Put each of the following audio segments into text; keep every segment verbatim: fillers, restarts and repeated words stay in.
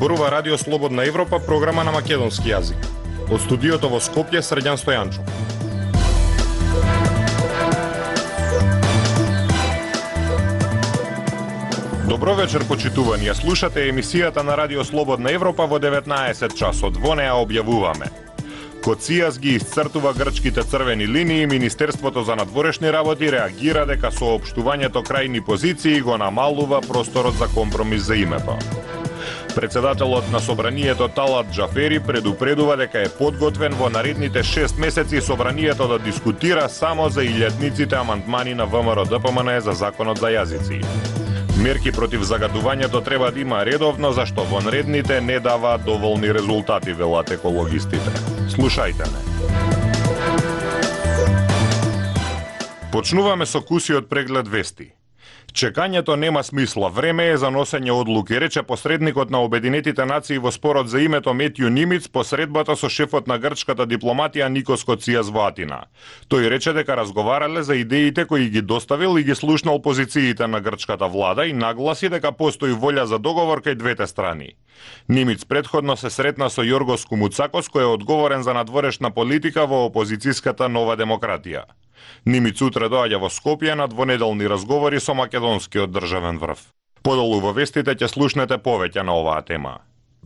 Зборува Радио Слободна Европа, програма на македонски јазик. Од студиото во Скопје, Срđan Стојанчов. Добро вечер, почитувани. Ја слушате емисијата на Радио Слободна Европа во деветнаесет часот. Во неа објавуваме: Коцијас ги исцртува грчките црвени линии, Министерството за надворешни работи реагира дека соопштувањето крајни позиции го намалува просторот за компромис за името. Председателот на Собранието Талат Џафери предупредува дека е подготвен во наредните шест месеци Собранието да дискутира само за илјадниците амандмани на ВМРО-ДПМН за законот за јазици. Мерки против загадувањето треба да има редовно, зашто вонредните не даваат доволни резултати, велат екологистите. Слушајте не. Почнуваме со кусиот преглед вести. Чекањето нема смисла, време е за носење одлуки, рече посредникот на Обединетите нации во спорот за името Метју Нимиц по средбата со шефот на грчката дипломатија Никос Коцијас во Атина. Тој рече дека разговарале за идеите кои ги доставил и ги слушнал позициите на грчката влада и нагласи дека постои волја за договор кај двете страни. Нимиц предходно се сретна со Јоргос Кумуцакос, кој е одговорен за надворешна политика во опозицијската Нова демократија. Нимиц утре доаѓа во Скопје на двонеделни разговори со македонскиот државен врв. Подолу во вестите ќе слушнете повеќе на оваа тема.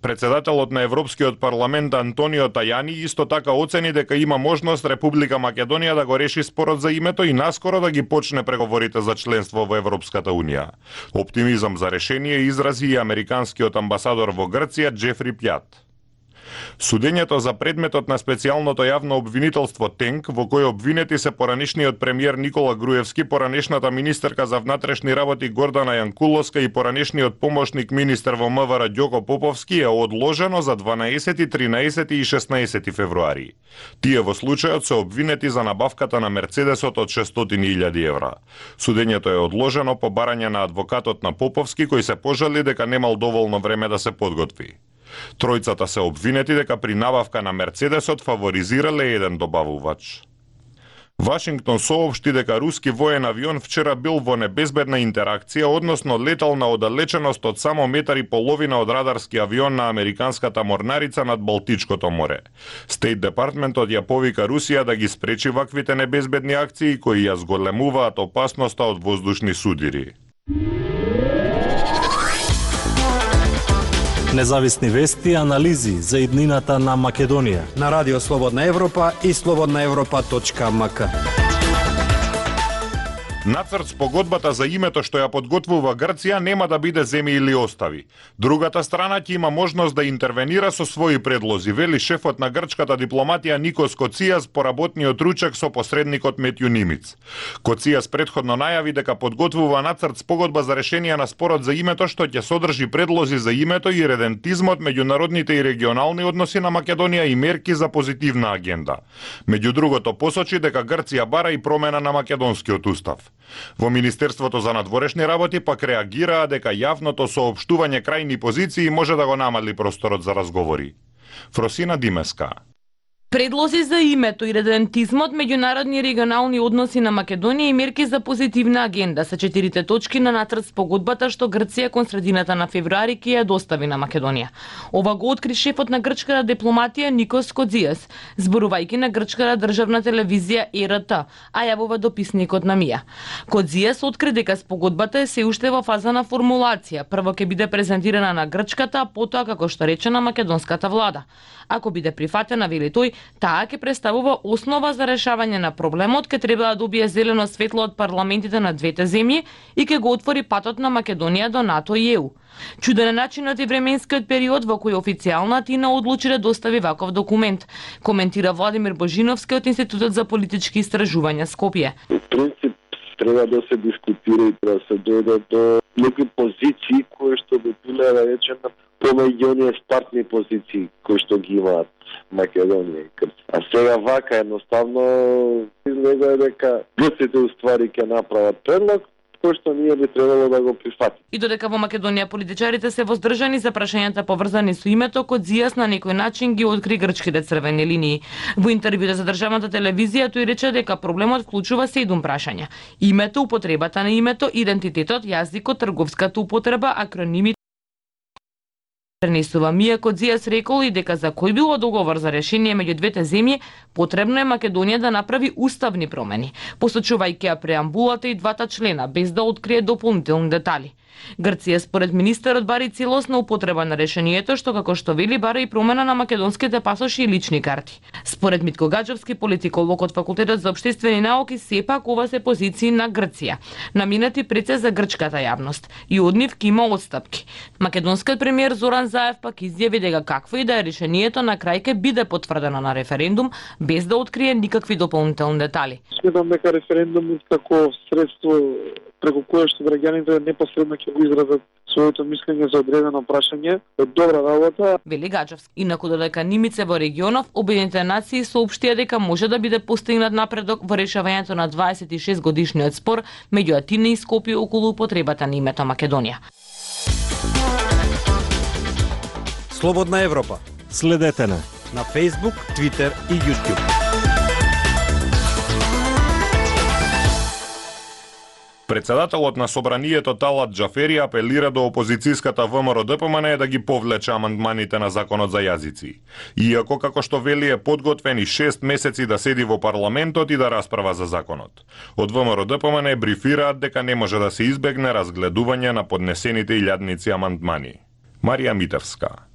Председателот на Европскиот парламент Антонио Тајани исто така оцени дека има можност Република Македонија да го реши спорот за името и наскоро да ги почне преговорите за членство во Европската унија. Оптимизам за решение изрази и американскиот амбасадор во Грција Џефри Пјат. Судењето за предметот на специјалното јавно обвинителство ТЕНК, во кој обвинети се поранешниот премиер Никола Груевски, поранешната министерка за внатрешни работи Гордана Јанкуловска и поранешниот помошник министер во МВР Ѓоко Поповски е одложено за дванаесети, тринаесети и шеснаесети февруари. Тие во случајот се обвинети за набавката на Мерцедесот од шестстотини илјади евра. Судењето е одложено по барање на адвокатот на Поповски, кој се пожали дека немал доволно време да се подготви. Тројцата се обвинети дека при набавка на Мерцедесот фаворизирале еден добавувач. Вашингтон соопшти дека руски воен авион вчера бил во небезбедна интеракција, односно летал на оддалеченост од само метар и половина од радарски авион на американската морнарица над Балтичкото море. Стейт департментот ја повика Русија да ги спречи ваквите небезбедни акции кои ја зголемуваат опасноста од воздушни судири. Независни вести и анализи за иднината на Македонија на Радио Слободна Европа и слободна европа точка ем ка. Нацрт спогодбата за името што ја подготвува Грција нема да биде земи или остави. Другата страна ќе има можност да интервенира со своји предлози, вели шефот на грчката дипломатија Никос Коцијас по работниот ручек со посредникот Метју Нимиц. Коцијас предходно најави дека подготвува нацрт спогодба за решение на спорот за името што ќе содржи предлози за името и редентизмот, меѓународните и регионални односи на Македонија и мерки за позитивна агенда. Меѓу другото посочи дека Грција бара и промена на македонскиот устав. Во Министерството за надворешни работи пак реагираа дека јавното соопштување крајни позиции може да го намали просторот за разговори. Фросина Димеска. Предлози за името и редентизмот, меѓународни и регионални односи на Македонија и мерки за позитивна агенда се четирите точки на нацрт спогодбата што Грција кон средината на февруари ќе ја достави на Македонија. Ова го откри шефот на грчката дипломатија Никос Коцијас, зборувајќи на грчката државна телевизија Е Р Т, а јавува дописникот на Мија. Коцијас откри дека спогодбата е се уште во фаза на формулација. Прво ќе биде презентирана на грчката, а потоа како што рече на македонската влада. Ако биде прифатена, вели тој, таа ќе представува основа за решавање на проблемот, ќе треба да добие зелено светло од парламентите на двете земји и ќе го отвори патот на Македонија до НАТО и Е У. Чуден е начинот и временскиот период во кој официјална Атина одлучи да достави ваков документ, коментира Владимир Божиновски од Институтот за политички истражувања Скопје. В принцип треба да се дискутира и да се дојде до некои позиции кои што би биле, да речеме, помеѓу оние стартни позиции кои што ги имаат Македонија и Грција. А сега вака едноставно изгледа дека грците уствари ќе направат предлог кој што ние би требало да го прифатиме. И додека во Македонија политичарите се воздржани за прашањата поврзани со името, Коцијас на некој начин ги откри грчките црвени линии. Во интервјуто за државната телевизија тој рече дека проблемот вклучува седум прашања: името, употребата на името, идентитетот, јазикот, трговската употреба, акронимите Пренесува Мија Кодзијас рекол и дека за кој било договор за решение меѓу двете земји, потребно е Македонија да направи уставни промени, посочувајќи ја преамбулата и двата члена, без да открие дополнителни детали. Грција според министерот бари целосна употреба на решението, што како што вели бара и промена на македонските пасоши и лични карти. Според Митко Гаџевски, политиколог од Факултетот за општествени науки, сепак ова се позиции на Грција, наминати пред се за грчката јавност, и од нив ќе има отстапки. Македонскиот премиер Зоран Заев пак изјави дека какво и да е решението на крај ќе биде потврдено на референдум, без да открие никакви дополнителни детали. Сметам дека референдумот како средство преку кое што граѓаните непосредно ќе го изразат своето мислење за одредено прашање, е добра работа. Вели Гаџевски. Инаку додека нимице во регионов, Обединетите нации соопштија дека може да биде постигнат напредок во решавањето на дваесет и шест годишниот спор меѓу Атина и Скопје околу употребата на името Македонија. Слободна Европа. Следете на На Facebook, Twitter и YouTube. Председателот на Собранието Талат Џафери апелира до опозицијската ВМРО-ДПМН да ги повлече амандманите на законот за јазици. Иако, како што вели, е подготвен и шест месеци да седи во парламентот и да расправа за законот. Од ВМРО-ДПМН брифираат дека не може да се избегне разгледување на поднесените илјадници амандмани. Марија Митевска.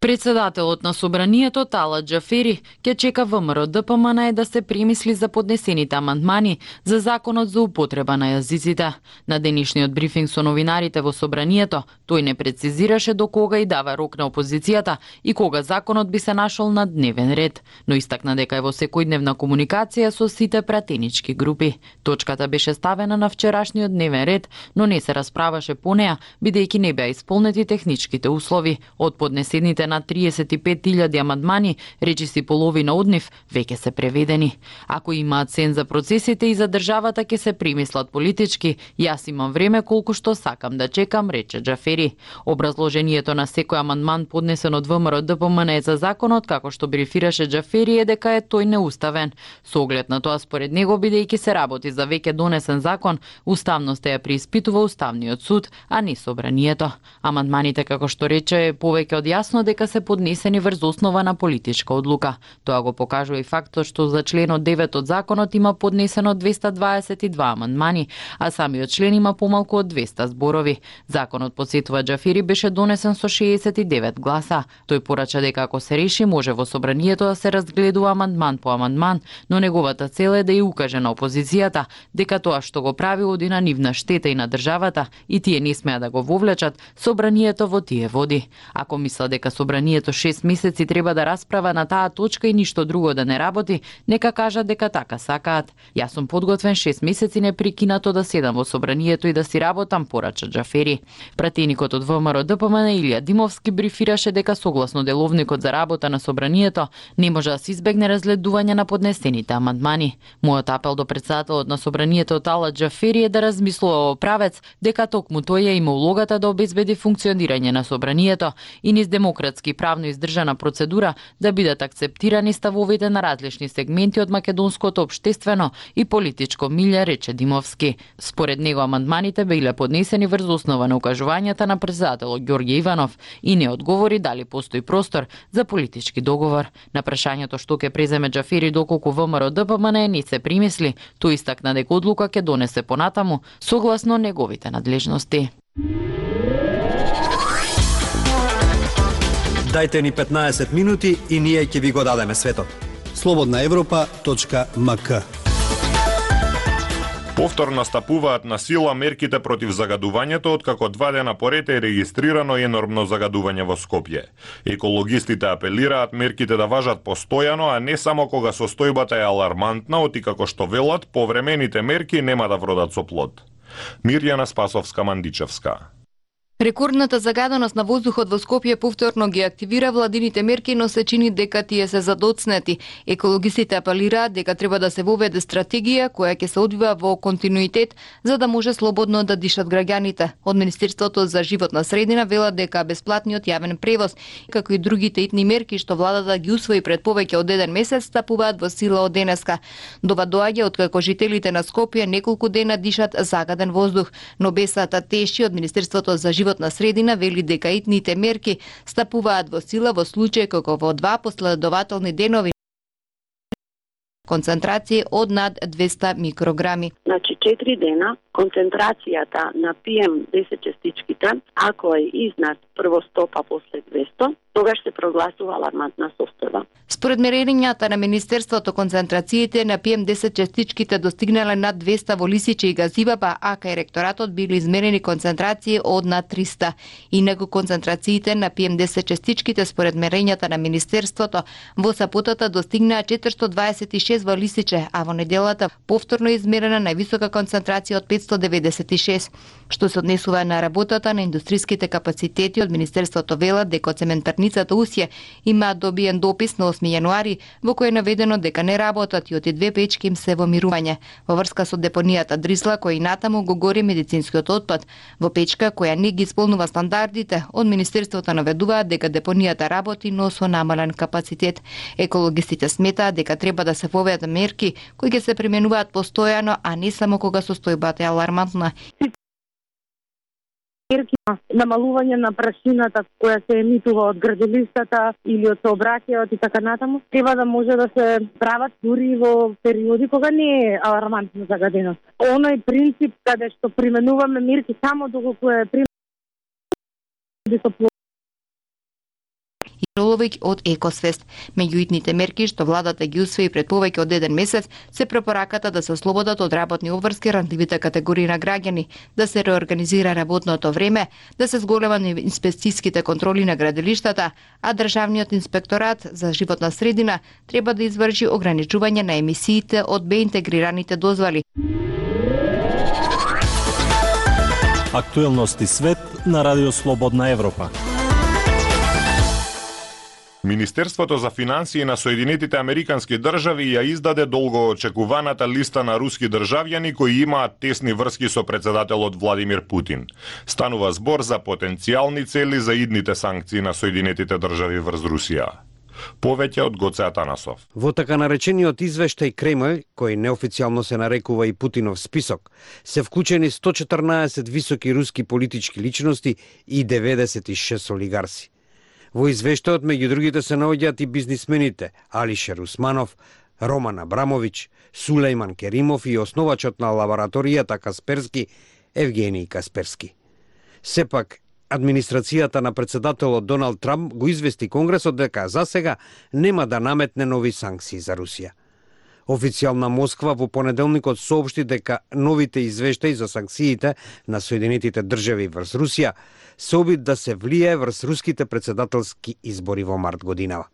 Председателот на Собранието Талат Џафери ќе чека ВМРО-ДПМН да се премисли за поднесените амандмани за законот за употреба на јазиците. На денешниот брифинг со новинарите во Собранието, тој не прецизираше до кога и дава рок на опозицијата и кога законот би се нашол на дневен ред, но истакна дека е во секојдневна комуникација со сите пратенички групи. Точката беше ставена на вчерашниот дневен ред, но не се расправаше по неа, бидејќи не беа исполнети техничките услови. Од поднесените на триесет и пет илјади амандмани, речиси половина од нив веќе се преведени. Ако имаат сен за процесите и за државата ќе се премислат политички, јас имам време колку што сакам да чекам, рече Џафери. Образложението на секој амандман поднесен од ВМРО-ДПМН за законот, како што брифираше Џафери, е дека е тој неуставен. Со оглед на тоа, според него, бидејќи се работи за веќе донесен закон, уставноста ја преиспитува Уставниот суд, а не Собранието. Амандманите, како што рече, е повеќе од јасно дека се поднесени врз основа на политичка одлука. Тоа го покажува и фактот што за членот девет од законот има поднесено двеста дваесет и два амандмани, а самиот член има помалку од двеста зборови. Законот, подсетува Џафери, беше донесен со шеесет и девет гласа. Тој порача дека ако се реши, може во Собранието да се разгледува амандман по амандман, но неговата цел е да ја укаже на опозицијата дека тоа што го прави оди на нивна штета и на државата и тие не смеа да го вовлечат Собранието во тие води. Ако мисла дека Собранието шест месеци треба да расправа на таа точка и ништо друго да не работи, нека кажат дека така сакаат. Јас сум подготвен шест месеци непрекинато да седам во Собранието и да си работам, порача Џафери. Пратеникот од ВМРО-ДПМН Илија Димовски брифираше дека согласно деловникот за работа на Собранието не може да се избегне разгледување на поднесените амандмани. Мојот апел до председателот на Собранието Талат Џафери е да размислува во правец дека токму тој има улогата да обезбеди функционирање на Собранието и низ демократски и правно издржана процедура да бидат акцептирани ставовите на различни сегменти од македонското општествено и политичко милје, рече Димовски. Според него амандманите биле поднесени врз основа на укажувањата на председателот Ѓорѓе Иванов и не одговори дали постои простор за политички договор. На прашањето што ќе преземе Џафери доколку ВМРО-ДПМН не се примисли, тој истакна дека одлука ќе донесе понатаму согласно неговите надлежности. Дајте ни петнаесет минути и ние ќе ви го дадеме светот. слободна европа точка ем ка. Повторно стапуваат на сила мерките против загадувањето, откако два дена поред е регистрирано енормно загадување во Скопје. Екологистите апелираат мерките да важат постојано, а не само кога состојбата е алармантна, оти како што велат, повремените мерки нема да вродат со плод. Мирјана Спасовска-Мандичевска. Рекордната загаденост на воздухот во Скопје повторно ги активира владините мерки, но се чини дека тие се задоцнети. Екологистите апелираат дека треба да се воведе стратегија која ќе се одвива во континуитет за да може слободно да дишат граѓаните. Од Министерството за животна средина велат дека бесплатниот јавен превоз, како и другите итни мерки што владата ги усвои пред повеќе од еден месец, стапуваат во сила од денеска. Дова доаѓа откако жителите на Скопје неколку дена дишат загаден воздух, но бесата теши од Министерството за животна животна средина вели дека итните мерки стапуваат во сила во случај кога во два последователни денови концентрација од над двесте микрограми. Значи четири дена концентрацијата на пи ем десет частичките, ако е изнад прво сто па после двесте, тогаш се прогласува алармантна состојба. Според мерењата на Министерството, концентрациите на пи ем десет частичките достигнале над двесте во лисиче и газива, па АК и ректоратот били измерени концентрации од над триста. Инаку концентрациите на пи ем десет частичките според мерењата на Министерството во саботата достигнаа четиристотини дваесет и шест во лисиче, а во неделата повторно измерена највисока концентрација од петстотини деведесет и шест. Што се однесува на работата на индустријските капацитети, од Министерството велат дека од цементарницата Усје има добиен допис на осми јануари во кој е наведено дека не работат и оти две печки им се во мирување. Во врска со депонијата Дрисла, кој инатаму го гори медицинскиот отпад, во печка која не ги исполнува стандардите, од Министерството наведуваат дека депонијата работи, но со намален капацитет. Екологистите сметаат дека треба да се воведат мерки кои ќе се применуваат постојано, а не само кога состојбата е алармантна. Мерки на намалување на прашината која се емитува од градилиштата или од сообраќајот и така натаму, треба да може да се прават дури во периоди кога не е алармантна загаденост. Оној принцип каде што применуваме мерки само доколку е применување Роловик од Екосвест. Меѓу итните мерки што владата ги усвои пред повеќе од еден месец се препораката да се ослободат од работни обврски рандливите категории на граѓани, да се реорганизира работното време, да се зголема инспекцијските контроли на градилиштата, а државниот инспекторат за животна средина треба да изврши ограничување на емисиите од беинтегрираните дозволи. Актуелности свет на Радио Слободна Европа. Министерството за финансии на Соединетите Американски држави ја издаде долгоочекуваната листа на руски државјани кои имаат тесни врски со председателот Владимир Путин. Станува збор за потенцијални цели за идните санкции на Соединетите држави врз Русија. Повеќе од Гоце Атанасов. Во така наречениот извештај Кремљ, кој неофицијално се нарекува и Путинов список, се вклучени сто четрнаесет високи руски политички личности и деветдесет и шест олигарси. Во извештајот меѓу другите се наоѓаат и бизнисмените Алишер Усманов, Роман Абрамович, Сулејман Керимов и основачот на лабораторијата Касперски Евгений Касперски. Сепак, администрацијата на председателот Доналд Трамп го извести Конгресот дека за сега нема да наметне нови санкции за Русија. Официјална Москва во понеделникот соопшти дека новите извештаи за санкциите на Соединетите држави врз Русија се обид да се влијае врз руските председателски избори во март годинава.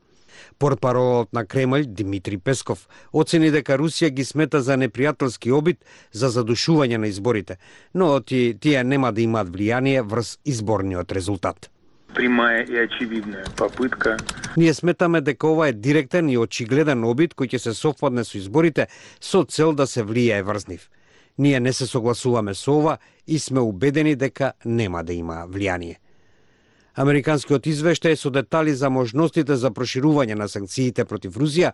Портпаролот на Кремљ Димитри Песков оцени дека Русија ги смета за непријателски обид за задушување на изборите, но ти, тие нема да имаат влијание врз изборниот резултат. Прямая и очевидна попытка. Ние сметаме дека ова е директен и очигледен обид кој ќе се совпадне со изборите со цел да се влијае врз нив. Ние не се согласуваме со ова и сме убедени дека нема да има влијание. Американскиот извештај со детали за можностите за проширување на санкциите против Русија,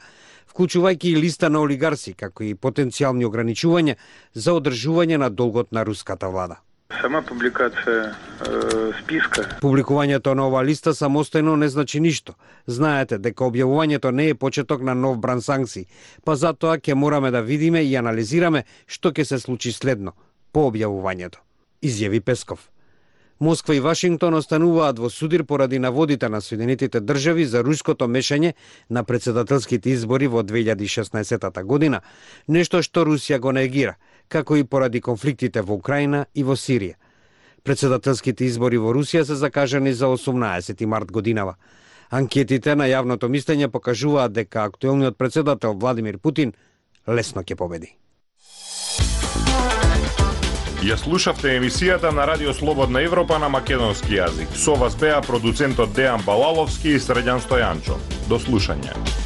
вклучувајќи и листа на олигарси, како и потенцијални ограничувања за одржување на долгот на руската влада. Сама публикација е, списка. Публикувањето на ова листа самостојно не значи ништо. Знаете дека објавувањето не е почеток на нов бран санкции, па затоа ќе мораме да видиме и анализираме што ќе се случи следно по објавувањето, изјави Песков. Москва и Вашингтон остануваат во судир поради наводите на Соединетите држави за руското мешање на председателските избори во две илјади и шеснаесетта година, нешто што Русија го негира, како и поради конфликтите во Украина и во Сирија. Председателските избори во Русија се закажани за осумнаесети март годинава. Анкетите на јавното мислење покажуваат дека актуелниот председател Владимир Путин лесно ќе победи. Ја слушавте емисијата на Радио Слободна Европа на македонски јазик. Со вас беа продуцентот Дејан Балаловски и Средјан Стојанчо. До слушање.